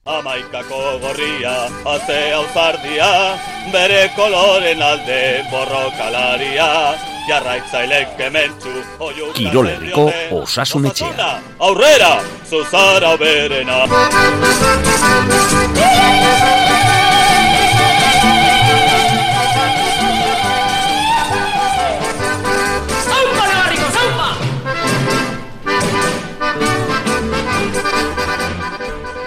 Amaikako gorria, azea uzardia, bere koloren alde borrokalaria, jarraitzailek kementzu, Kirolerriko Osasun Etxea. Aurrera, zuzara berena.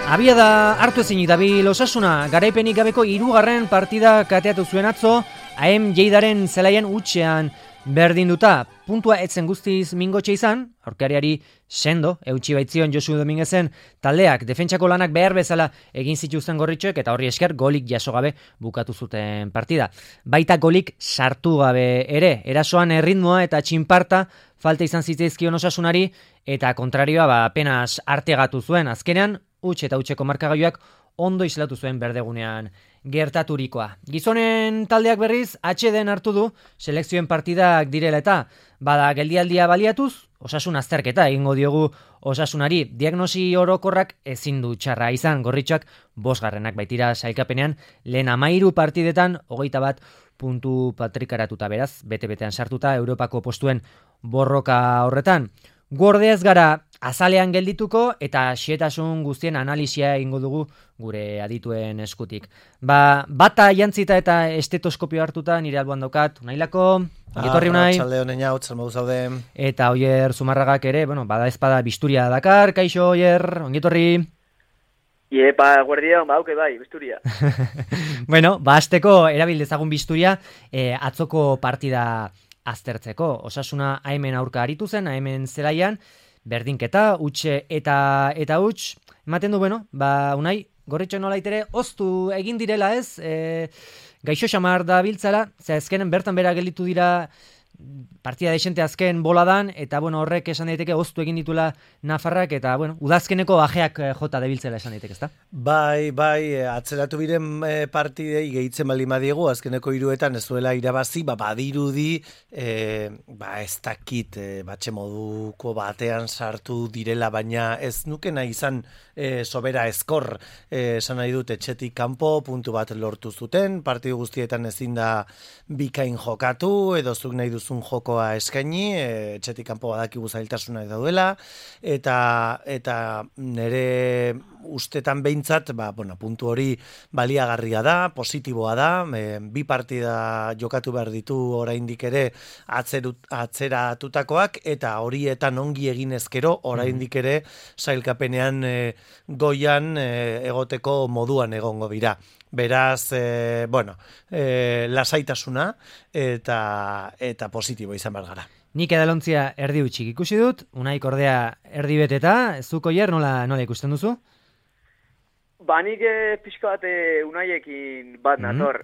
Abia da hartu ezinik dabil Osasuna, garaipenik gabeko 3. partida kateatu zuen atzo, AM Lleidaren zelaian utxean berdinduta. Puntua etzen guztiz mingotxe izan, aurkariari sendo, eutxi baitzion Josu Dominguezen taldeak, defentsako lanak behar bezala egin zituzten gorritxoek, eta horri esker golik jaso gabe bukatu zuten partida. Baita golik sartu gabe ere, erasoan erritmoa eta txinparta falta izan zitzaizkion Osasunari, eta kontrarioa apenas artegatu zuen, azkenean, huts eta hutseko markagailuak ondo islatu zuen berdegunean gertaturikoa. Gizonen taldeak berriz, atxeden hartu du selekzioen partidak direla eta bada geldialdia baliatuz, Osasun azterketa egingo diogu Osasunari. Diagnosi orokorrak ezin du txarra izan, gorritxoak 5. baitira sailkapenean, lehen 13 partidetan 21 puntu patrikaratuta, beraz, bete-betean sartuta Europako postuen borroka horretan. Gorde ez gara azalean geldituko eta xehetasun guztien analisia egingo dugu gure adituen eskutik. Bata jantzita eta estetoskopio hartuta nire alboan daukat, Unailako, ongitorri Unai. Txalde honen jau, txalmodu zaude. Eta Oier Zumarragak ere, bada ezpada bisturia dakar, kaixo Oier, ongitorri. Iepa, guardia, hauke bai, bisturia. Azteko erabil dezagun bisturia, atzoko partida aztertzeko. Osasuna hemen aurka aritu zen, hemen zelaian, berdinketa, utxe eta huts, ematen du, Unai, gorritxo nolaitere, oztu egin direla ez, gaixo xamar da biltzala, azkenen bertan bera gelditu dira partida desente azken boladan, eta horrek esan daiteke oztu egin ditula Nafarrak, eta udazkeneko ajeak jota debiltzela esan daiteke, ezta? Bai, atzeratu biren partidei gehitzen bali madiegu, azkeneko 3etan ez duela irabazi, badirudi, ez dakit, batxe moduko batean sartu direla, baina ez nuke nahi izan sobera eskor, esan nahi dut etxetik kanpo, puntu bat lortu zuten, partidu guztietan ezin da bikain jokatu, edo zuk nahi duzun jokoa eskaini, etxetik kanpo badakigu zailtasunak daudela, eta nire ustetan behintzat, puntu hori baliagarria da, positiboa da, 2 partida jokatu behar ditu oraindik ere atzeratutakoak, eta horietan ongi egin ezkero, oraindik ere sailkapenean goian egoteko moduan egongo dira. Beraz, lasaitasuna eta positibo izan behar gara. Nik edalontzia erdi utxik ikusi dut, Unaik ordea erdi beteta, zuk Oier nola ikusten duzu? Nik pixka bat Unaiekin bat nator.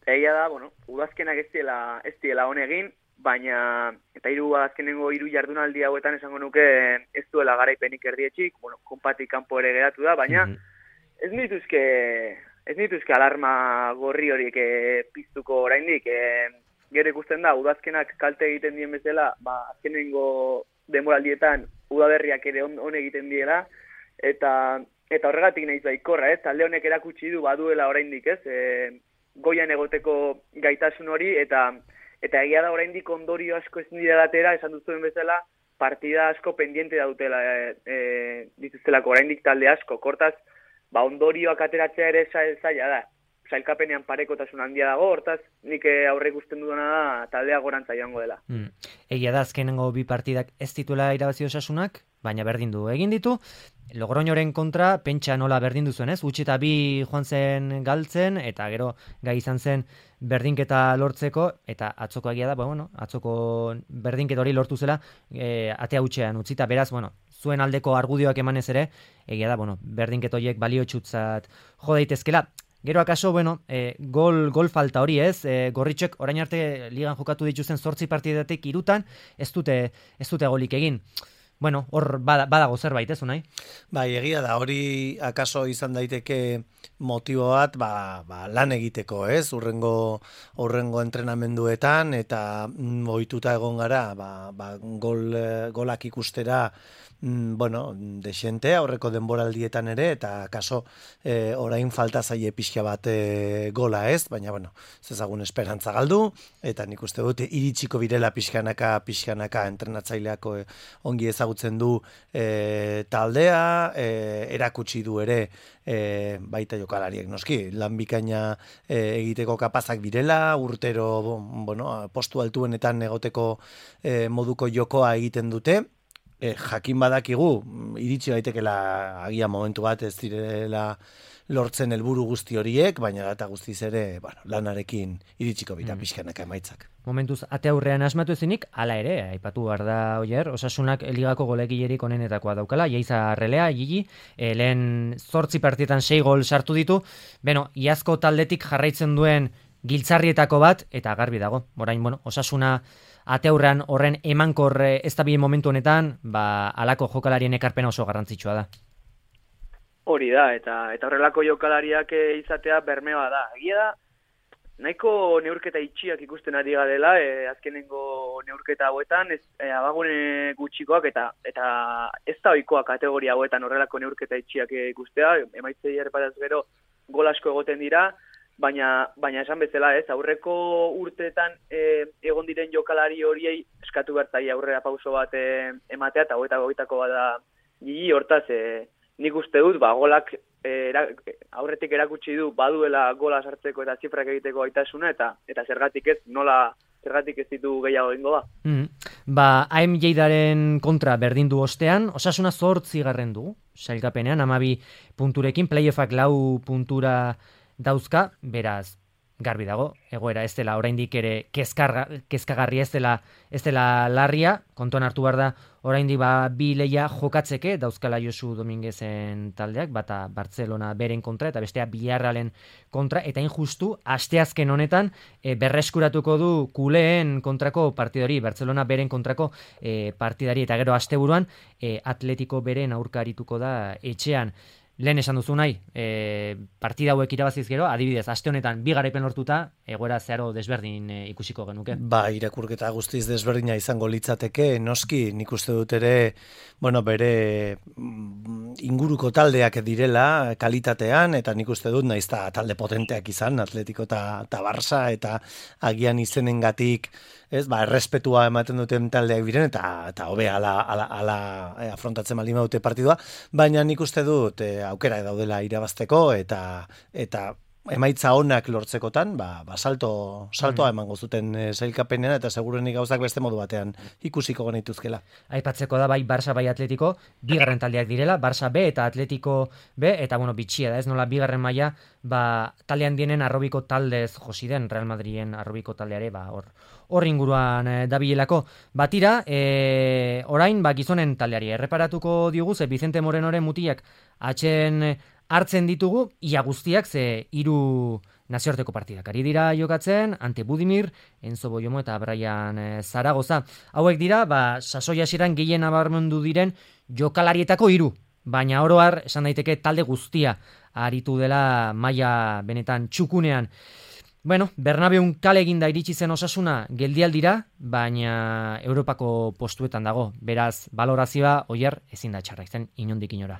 Egia da, udazkenak ez diela honegin, baina eta azkenengo 3 jardunaldi hauetan esango nuke ez duela garaipenik erdietxik, konpatik kanpo ere geratu da, baina ez nituzke alarma gorri horiek piztuko oraindik. Gero ikusten da, udazkenak kalte egiten dien bezala, azkenengo denboraldietan udaberriak ere on egiten diela, eta horregatik nahiz baikorra, talde honek erakutsi du baduela oraindik, goian egoteko gaitasun hori, eta egia da oraindik ondorio asko ez dira atera, esan duzuen bezala, partida asko pendiente daudela dituztelako oraindik talde asko, kortaz, ondorioak ateratzea ere zaila da. Sailkapenean parekotasun handia dago, hortaz, nik aurre ikusten dudana da taldea gorantza joango dela. Egia da, azkenengo 2 partidak ez dituela irabazi Osasunak, baina berdindu egin ditu. Logroñoren kontra, pentsa nola berdindu zuen, ez? Utsi eta 2 joan zen galtzen, eta gero gai izan zen berdinketa lortzeko, eta atzoko egia da, atzoko berdinketa hori lortu zela, atea utxean utzita, beraz, zuen aldeko argudioak emanez ere, egia da, berdinketa horiek baliotsutzat jo daitezkela. Gero akaso, gol falta hori ez, gorritxek orain arte ligan jokatu dituzten 8 partidatik 3 ez dute golik egin. Hor badago zerbait ez, Unai? Bai, egia da, hori akaso izan daiteke motibo bat, lan egiteko, ez? Urrengo entrenamenduetan, eta ohituta egon gara, golak ikustera bueno, desente aurreko denboraldietan ere, eta kaso orain falta zaie pixka bat gola ez, baina, bueno, zezagun esperantza galdu, eta nik uste dut iritsiko birela pixkanaka entrenatzaileako ongi ezagutzen du taldea, erakutsi du ere baita jokalariek noski, lan bikaina egiteko kapazak birela, urtero bueno, postu altuenetan egoteko moduko jokoa egiten dute, jakin badakigu, iritsi daitekela agia momentu bat ez direla lortzen helburu guzti horiek, baina eta guztiz ere, bueno, lanarekin iritsiko bira pixkanaka emaitzak. Momentuz, ate aurrean asmatu ezinik, hala ere, aipatu behar da, Oier, Osasunak ligako golegilerik onenetakoa daukala, Jaiza Arrelea, Gigi, lehen 8 partietan 6 gol sartu ditu, beno, iazko taldetik jarraitzen duen giltzarrietako bat, eta garbi dago, orain, bueno, Osasuna ate aurrean horren emankor ez da bien momentu honetan, alako jokalarien ekarpena oso garrantzitsua da. Hori da, eta horrelako jokalariak izatea bermea da. Egia da, nahiko neurketa itxiak ikusten ari garela, azkenengo neurketa hauetan, abagune gutxikoak eta ez da ohikoa kategoria hauetan horrelako neurketa itxiak ikustea, emaitzei erreparaz gero gol asko egoten dira, baina esan bezala ez, aurreko urteetan egon diren jokalari horiei eskatu bertzaile aurrera pauso bat ematea, eta goitako bada Gigi, hortaz, nik uste dut, golak aurretik erakutsi du baduela gola sartzeko eta zifrak egiteko gaitasuna eta zergatik ez ditu gehiago egingo da. AM Lleidaren kontra berdin du ostean, Osasuna 8. du, sailkapenean, 12 punturekin, playoffak 4 puntura dauzka, beraz, garbi dago, egoera ez dela oraindik ere kezkagarria ez dela larria, kontuan hartu behar da oraindik bi leia jokatzeke dauzkala Josu Dominguezen taldeak, bata Barcelona beren kontra eta bestea Villarrealen kontra, eta injustu asteazken honetan berreskuratuko du kuleen kontrako partidari, Barcelona beren kontrako partidari, eta gero asteburuan Atletico beren aurkarituko da etxean. Lehen esan duzu nahi, partida hauek irabaziz gero, adibidez, aste honetan 2 garaipen lortuta, egoera zeharo desberdin ikusiko genuke. Irakurketa guztiz desberdina izango litzateke, noski, nik uste dut ere, bueno, bere inguruko taldeak direla kalitatean, eta nik uste dut naizta talde potenteak izan, Atletico eta Barça, eta agian izenengatik, errespetua ematen duten taldeak biren, eta hobe ala afrontatzen baldin badute partidua, baina nik uste dut aukera daudela irabazteko, eta emaitza onak lortzekotan, saltoa emango zuten sailkapenean, eta segurenik gauzak beste modu batean ikusiko genituzkela. Aipatzeko da bai Barça bai Atletico, 2. taldeak direla, Barça B eta Atletico B, eta bitxia da, ez nola 2. maila, taldean dienen arrobiko taldez josi den, Real Madriden arrobiko taldeare, hor inguruan dabilelako. Batira, orain, gizonen taldeari erreparatuko diogu, ze Vicente Morenoren mutilak hartzen ditugu, ia guztiak, ze 3 nazioarteko partidak ari dira jokatzen, Ante Budimir, Enzo Boyomo eta Brian Zaragoza. Hauek dira, sasoi hasieran gehien nabarmendu diren jokalarietako 3, baina oro har, esan daiteke talde guztia aritu dela maila benetan txukunean. Bueno, Bernabeun kale eginda iritsi zen Osasuna geldialdira, baina Europako postuetan dago. Beraz, balorazioa Oier ezin da txarra izan inondik inora.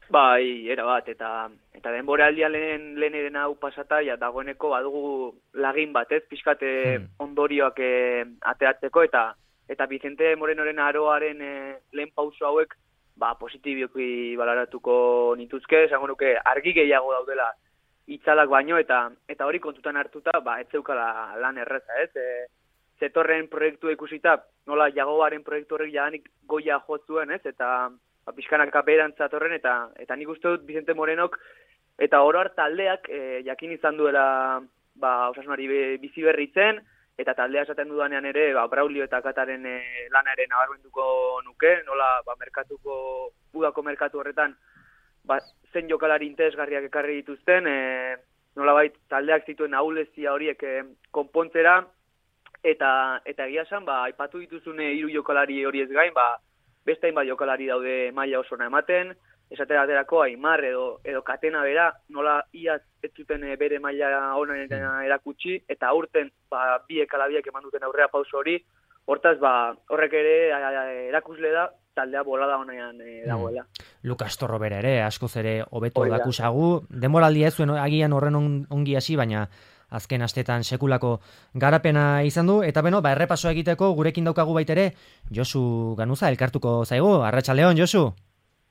Erabat, eta denboraldia lehen hau pasata, dagoeneko badugu lagin batez, pixkate ondorioak ateatzeko, eta Vicente Morenoren aroaren lehen pauso hauek, positibioki balaratuko nituzke, esango nuke argi gehiago daudela itzalak baino, eta hori kontutan hartuta, ez zeukala lan erreza, ez? Zetorren proiektua ikusita, nola Jagoaren proiektu horrek jadanik goia jotzuen, ez? Eta pixkanaka beherantza torren, eta nik uste dut Vicente Morenok, eta oro har taldeak jakin izan duela Osasunari bizi berritzen, eta taldea esaten dudanean ere, Braulio eta Kataren lana ere nabarmenduko nuke, nola udako merkatu horretan, zen jokalari interesgarriak ekarri dituzten, nolabait taldeak zituen ahulezia horiek konpontzera, eta egia esan, aipatu dituzune 3 jokalari horiez gain, beste hainbat jokalari daude maila osona ematen, esatera aterako Aimar edo Katena bera, nola iaz ez zuten bere maila onan erakutsi, eta aurten biek ala biek eman duten aurrera pauso hori, hortaz horrek ere erakusle da, taldea bolada honean dagoela. Lukas Torro bere ere, askoz ere hobeto dakusagu, denboraldia ez zuen agian horren ongi hasi, baina azken astetan sekulako garapena izan du, eta errepaso egiteko gurekin daukagu baitere, Josu Ganuza elkartuko zaigu, arratsaldeon Josu.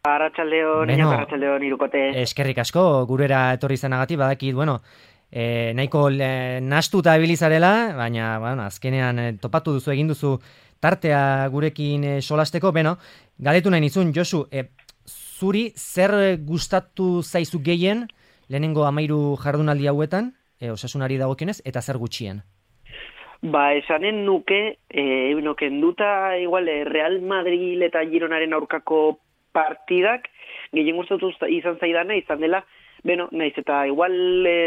Arratsaldeon, arratsaldeon Hirukote. Eskerrik asko gurera etorri izanagatik, badakit, nahiko nahastuta ibilizarela, baina azkenean topatu duzu, egin duzu tartea gurekin solasteko, galetu nahi nizun, Josu, zuri zer gustatu zaizu gehien lehenengo 13 jardunaldi hauetan, Osasunari dagokionez, eta zer gutxien? Esanen nuke, kenduta igual Real Madrid eta Gironaren aurkako partidak, gehien gustatu izan zaidana, izan dela, naiz eta igual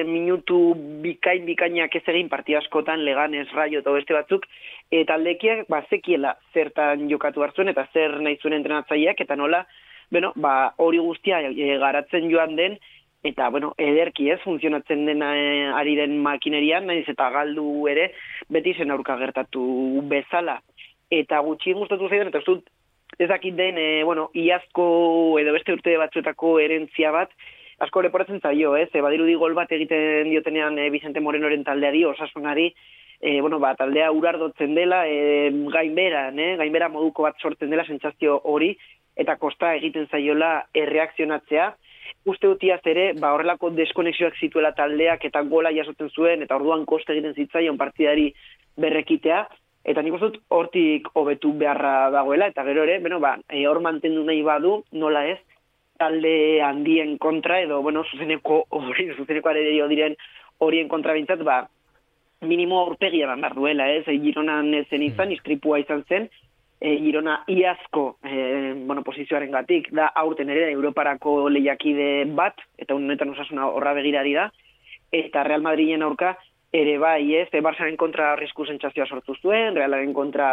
minutu bikainak ez egin partida askotan, Leganes, Rayo eta beste batzuk, taldekiak zekiela zertan jokatu hartzuen eta zer nahi zuen entrenatzaileak, eta nola, hori guztia garatzen joan den, eta, ederki funtzionatzen den ari den makinerian, naiz eta galdu ere, beti zen aurka gertatu bezala. Eta gutxien gustatu zaidan, eta ez dakit den, iazko edo beste urte batzuetako herentzia bat, asko leporatzen zaio, badirudi gol bat egiten diotenean Vicente Morenoren taldeari, Osasunari, taldea urardotzen dela, gainbera moduko bat sortzen dela sentsazio hori, eta kosta egiten zaiola erreakzionatzea. Uste dutiaz ere, horrelako deskonexioak zituela taldeak eta gola jasotzen zuen, eta orduan koste egiten zitzaion partidari berrekitea, eta nik uste dut hortik hobetu beharra dagoela, eta gero ere, hor mantendu nahi badu, nola ez, talde handien kontra, edo, zuzeneko arerio diren horien kontra bintzat, minimo aurpegia behar duela, Gironan zen izan, istripua izan zen, Girona iazko posizioaren gatik, da aurten ere Europarako lehiakide bat, eta honetan Osasuna horra begirari da, eta Real Madriden aurka ere Barsaren kontra arrisku sentsazioa sortu zuen, Realaren kontra,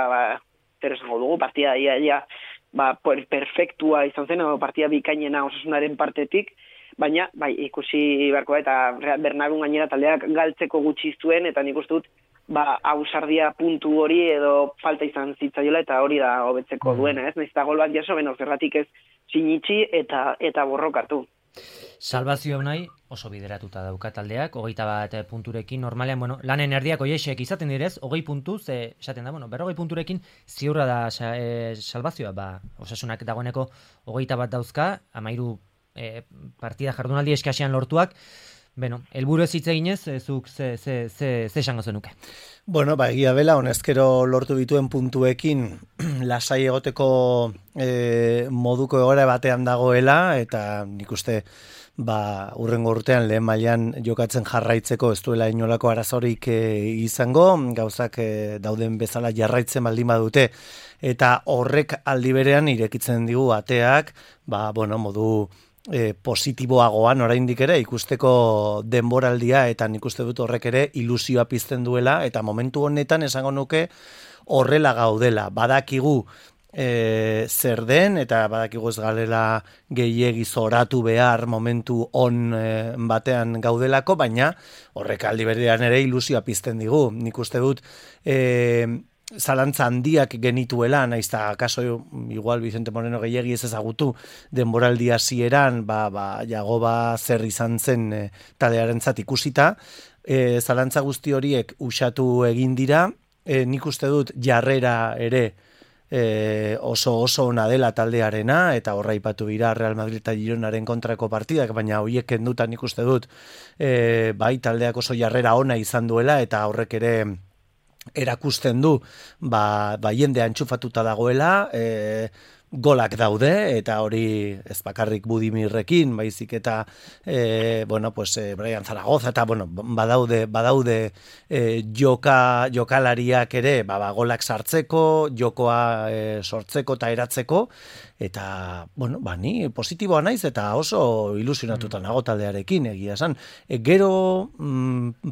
zer esango dugu, partida perfektua izan zen, partida bikainena Osasunaren partetik, baina, ikusi beharko da, eta Bernabéun gainera taldeak galtzeko gutxi zuen, eta nik uste dut, ausardia puntu hori edo falta izan zitzaiola, eta hori da hobetzeko duena, naiz eta gol bat jaso, zerratik ez sinitxi eta borrokatu. Salbazio nahi oso bideratuta dauka taldeak, 21 punturekin, normalean, lanen erdiak oiexek izaten direz, 20 puntuz, esaten da, 40 punturekin ziurra da salbazioa, Osasunak dagoeneko 21 dauzka, 13 partida jardunaldi eskasean lortuak, helburu ez hitz eginez, zuk ze esango zenuke? Egia bela, honezkero lortu dituen puntuekin lasai egoteko moduko egoera batean dagoela, eta nik uste urrengo urtean lehen mailan jokatzen jarraitzeko ez duela inolako arazorik izango, gauzak dauden bezala jarraitzen baldin badute, eta horrek aldi berean irekitzen digu ateak, modu positiboagoan oraindik ere ikusteko denboraldia, eta nik uste dut horrek ere ilusioa pizten duela, eta momentu honetan esango nuke horrela gaudela. Badakigu zer den, eta badakigu ez galela gehiegi zoratu behar momentu on batean gaudelako, baina horrek aldi berean ere ilusioa pizten digu. Nik uste dut zalantza handiak genituela, naiz eta kaso igual Vicente Moreno gehiegi ez ezagutu denboraldi hasieran, Jagoba zer izan zen taldearentzat ikusita, zalantza guzti horiek usatu egin dira, nik uste dut jarrera ere oso ona dela taldearena, eta horra ipatu dira Real Madrid eta Gironaren kontrako partidak, baina horiek kendutan nik uste dut taldeak oso jarrera ona izan duela, eta horrek ere erakusten du jendea entxufatuta dagoela, golak daude, eta hori ez bakarrik Budimirrekin, baizik eta Brian Zaragoza, eta badaude jokalariak ere golak sartzeko, jokoa sortzeko eta eratzeko, eta ni positiboa naiz eta oso ilusionatuta nago taldearekin, egia esan. Gero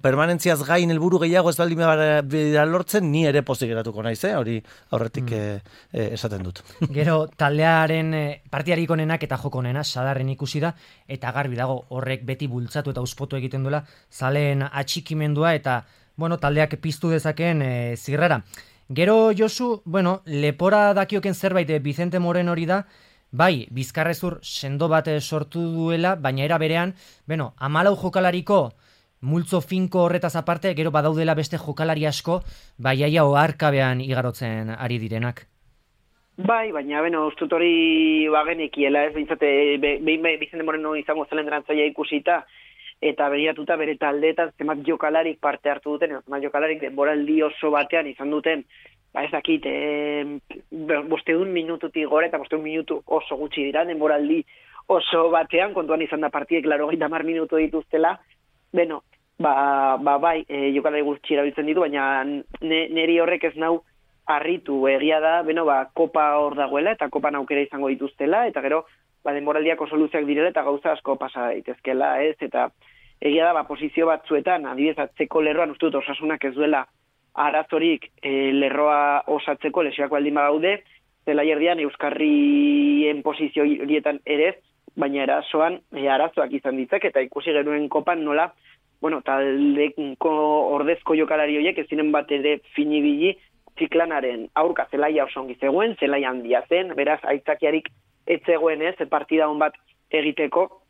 permanentziaz gain helburu gehiago ez baldin bera lortzen, ni ere pozik geratuko naiz, hori aurretik esaten dut. Gero taldearen partidarik onenak eta joko onena Sadarren ikusi da, eta garbi dago horrek beti bultzatu eta uspotu egiten duela zaleen atxikimendua, eta taldeak piztu dezakeen zirrara. Gero Josu, bueno, lepora dakioken zerbait Vicente Moreno hori da, bai, Bizkarrezur sendo bat sortu duela, baina era berean, 14 jokalariko multzo finko horretaz aparte, gero badaudela beste jokalari asko, bai aia oharkabean igarotzen ari direnak. Bai, baina, ustut hori bagenekiela, ez bintzate, behin Vicente Moreno izango zelen drantzaia ikusita, eta begiratuta bere taldeetan zenbat jokalarik parte hartu duten, zenbat jokalarik denboraldi oso batean izan duten, ez dakit, 500 minututik gore eta 500 minutu oso gutxi dira, denboraldi oso batean, kontuan izan da partiek 80 minutu dituztela, bai, jokalari gutxi erabiltzen ditu, baina neri horrek ez nau harritu, egia da, kopa hor dagoela, eta kopan aukera izango dituztela, eta gero, denboraldiak oso luzeak direla, eta gauza asko pasa daitezkela, ez, eta egia da, posizio batzuetan, adibidez, atzeko lerroan, uste dut, Osasunak ez duela arazorik lerroa osatzeko lesioak baldin badaude, zela erdian Euskarrien posizio horietan ere, baina erasoan arazoak izan ditzak, eta ikusi genuen kopan nola, taldeko ordezko jokalari horiek ez ziren bat ere finibili, Ziklanaren aurka zelaia oso ongi zegoen, zelaia handia zen, beraz aitzakiarik ez zegoen ez, partida hon bat egiteko,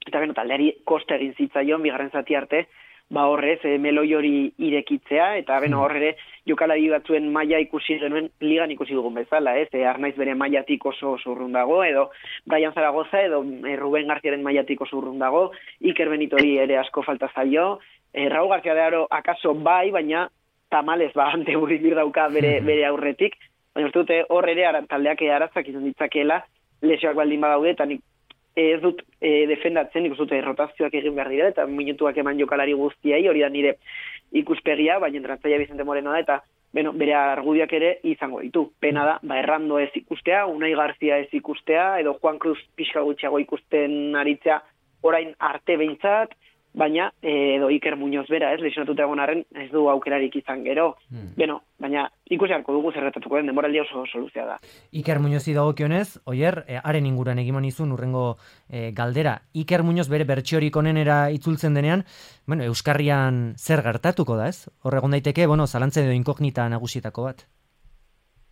eta taldeari koste egin zitzaion, bigarren zati arte, horrez, meloi hori irekitzea, eta horre jokalari batzuen maila ikusi genuen, ligan ikusi dugun bezala, ez, Arnaiz bere mailatik oso urrun dago, edo Brian Zaragoza, edo Ruben Garziaren mailatik oso urrun dago, Iker Benitori ere asko falta zaio, Raúl García de Aro akaso bai, baina tamalez ante Budimir dauka bere aurretik, baina uste dute hor ere taldeak aratzak izan ditzakeela, lesioak baldin badaude, eta nik ez dut defendatzen, nik uste dute rotazioak egin behar dira, eta minutuak eman jokalari guztiai, hori da nire ikuspegia, baina entratzaia Vicente Moreno da, eta bere argudiak ere izango ditu. Pena da, Errando ez ikustea, Unai Garzia ez ikustea, edo Juan Cruz pixka gutxiago ikusten aritzea orain arte behintzat, baina edo Iker Muñoz bera, ez, lesionatuta egon arren, ez du aukerarik izan gero. Baina ikusi harko dugu zerretatuko den, denboraldi oso luzea da. Iker Muñozi dagokionez, Oier, haren inguran egimon izun urrengo galdera. Iker Muñoz bere bertsiorik onenera itzultzen denean, Euskarrian zer gertatuko da, ez? Horregon daiteke, zalantzen edo inkognita nagusietako bat.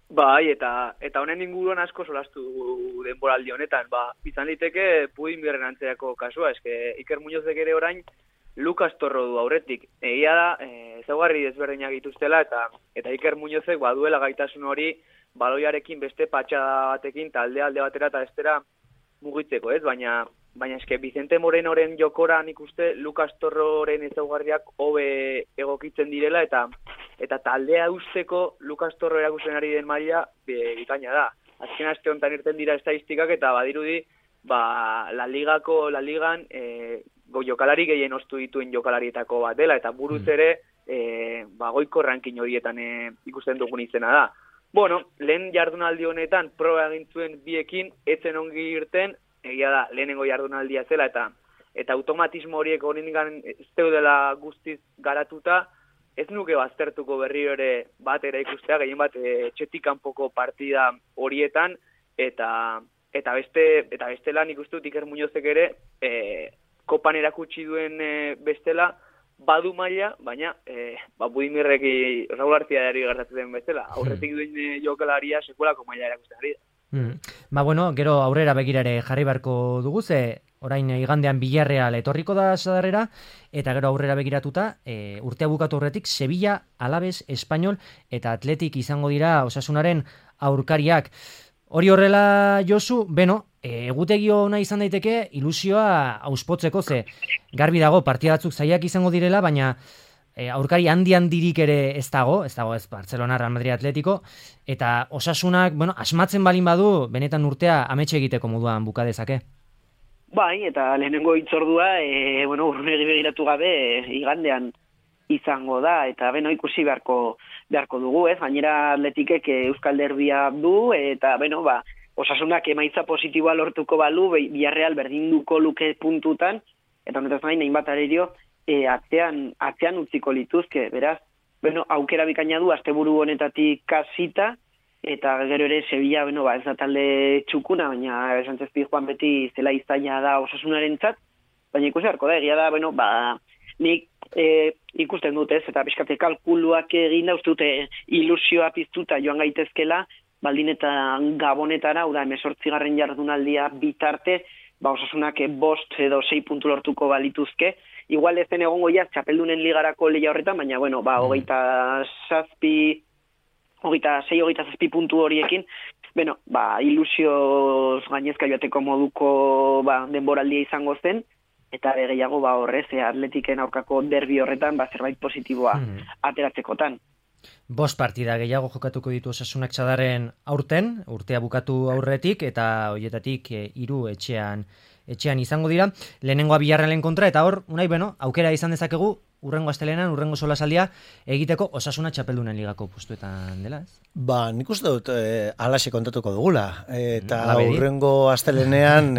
Bai, eta honen inguruan asko solastu dugu denboraldi honetan, izan liteke Budimir antzeako kasua, eske Iker Muñozek ere orain Lucas Torro du aurretik. Egia da, ezaugarri desberdinak dituztela, eta Iker Muñozek baduela gaitasun hori baloiarekin beste patxada batekin talde alde batera eta bestera mugitzeko, ez? Baina eske Vicente Morenoren jokoran ikuste Lucas Torroren ezaugarriak hobe egokitzen direla, eta taldea usteko Lucas Torro erakusten ari den maila bikaina da. Azken aste honetan irten dira estadistikak eta badirudi La Ligan jokalari gehien ostu dituen jokalarietako bat dela, eta buruz ere goiko ranking horietan ikusten dugun izena da. Lehen jardunaldi honetan proba egin zuen biekin, etzen ongi irten, egia da, lehenengo jardunaldia zela, eta automatismo horiek honingan ez deudela guztiz garatuta, ez nuke baztertuko berriro ere batera ikustea, gehien bat etxetik kanpoko partida horietan, eta bestela nik uste dut Iker Muñozek ere kopan erakutsi duen bestela badu maila, baina Budimirrek Raúl Garziari gertatzen den bestela, aurretik duen jokalaria sekulako maila erakusten ari da. Gero aurrera begirare jarri beharko dugu, ze orain igandean Villarreal etorriko da sadarrera, eta gero aurrera begiratuta, urtea bukatu horretik Sevilla, Alaves, Espanyol eta Atletik izango dira Osasunaren aurkariak. Hori horrela, Josu, egutegi ona izan daiteke ilusioa auspotzeko, ze garbi dago partida batzuk zailak izango direla, baina aurkari handirik ere ez dago ez Barcelona, Real Madrid, Atletico, eta Osasunak, asmatzen balin badu, benetan urtea ametxe egiteko moduan buka dezake. Bai, eta lehenengo hitzordua, urrunegi begiratu gabe, igandean izango da, eta ikusi beharko dugu, ez? Gainera Atletikek Euskal Derbia du, eta Osasunak emaitza positiboa lortuko balu, Villarreal berdinduko luke puntutan, eta honetaz gain, hainbat arerio, atzean utziko lituzke, beraz, aukera bikaina du, asteburu honetatik kasita, eta gero ere Sevilla, ez da talde txukuna, baina Sánchez Pizjuan beti zela izaina da Osasunarentzat, baina ikusi harko da, egia da, nik ikusten dut ez, eta pixkate kalkuluak egin da, uste dute ilusioa piztuta joan gaitezkela, baldin eta Gabonetara, hau da, 18. jardunaldia bitarte, Osasunak 5 edo 6 puntu lortuko balituzke, igual ez den egongo jaz txapeldunen ligarako lehia horretan, baina, 26-27 puntu horiekin, ilusioz gainezka joateko moduko denboraldia izango zen, eta gehiago horrez, Atletiken aurkako derbi horretan, zerbait positiboa ateratzekotan. 5 partida gehiago jokatuko ditu Osasunak Txadarren aurten, urtea bukatu aurretik, eta horietatik 3 etxean izango dira. Lehenengoa Villarrealen kontra, eta hor, aukera izan dezakegu, urrengo astelenan, urrengo solasaldia, egiteko Osasuna Txapeldunen ligako postuetan dela, ez? Nik uste dut alaxe kontatuko dugula. Eta urrengo astelenean,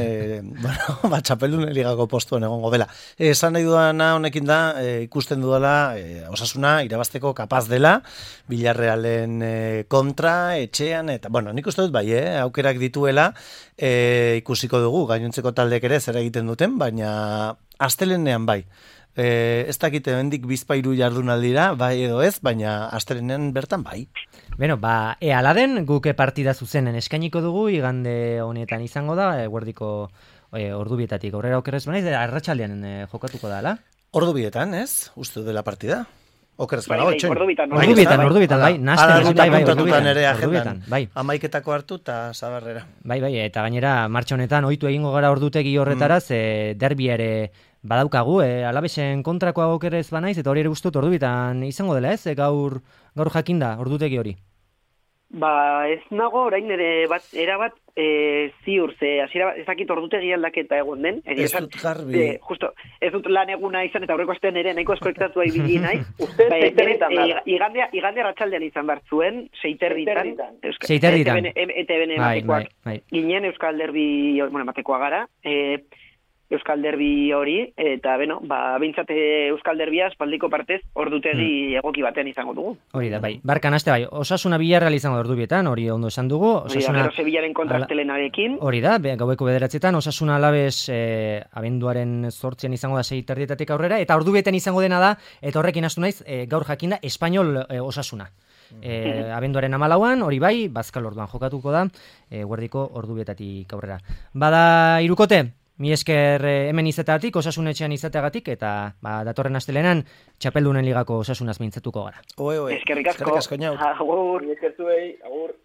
Txapeldunen ligako postuan egongo dela. Esan nahi dudana honekin da, ikusten dudala, Osasuna irabazteko kapaz dela, Villarrealen kontra, etxean, eta, nik uste dut aukerak dituela, ikusiko dugu, gainontzeko taldek ere zer egiten duten, baina astelenean bai. Ez dakite bendik bizpairu jardunaldira, bai edo ez, baina astelenean bertan bai. Aladen guk partida zuzenen eskainiko dugu, igande honetan izango da, eguerdiko ordubietatik aurrera okerrez banaiz, arratsaldean jokatuko da, ala? Ordubietan, ez? Uste dela partida? Okerrez banago, etxoin? Ordubitan, bai, ordubitan, bai. Amaiketako hartu eta Zabarrera. Bai, eta gainera, martxa honetan, ohitu egingo gara ordutegi horretaraz, derbi ere badaukagu, Alabesen kontrakoa okerrez banaiz, eta hori ere guztut ordubitan izango dela, ez? Gaur jakinda, ordutegi hori. Ez nago, orain ere erabat ziur, ez dakit ordutegi aldaketa egon den. Ez dut garbi. Justo, ez dut lan eguna izan, eta aurreko astean ere nahiko eskoektatua ibili nahi. Igande arratsaldean izan behar zuen, 6:30. ETB ematekoak. Ginen Euskal Derbi, ematekoa gara, Euskal Derbi hori, eta behintzat Euskal Derbia espaldiko partez ordutegi egoki batean izango dugu. Hori da, bai. Barkan aste bai, Osasuna Villarreal izango ordubietan, hori ondo esan dugu. Osasuna Sevillaren kontra astelenarekin. Hori da, gaueko 9:00 Osasuna Alabes abenduaren 8 izango da 6:30 aurrera, eta ordubietan izango dena da, eta horrekin hastu naiz, gaur jakinda Espainol Osasuna. Abenduaren 14an, hori bai, Bazkal orduan jokatuko da, guerdiko ordubietatik aurrera. Bada hirukote, mi esker hemen izatagatik, Osasun etxean izateagatik, eta datorren astelenan Txapeldunen ligako Osasunaz mintzatuko gara. Eskerrik asko. Agur. Eskertuei, agur.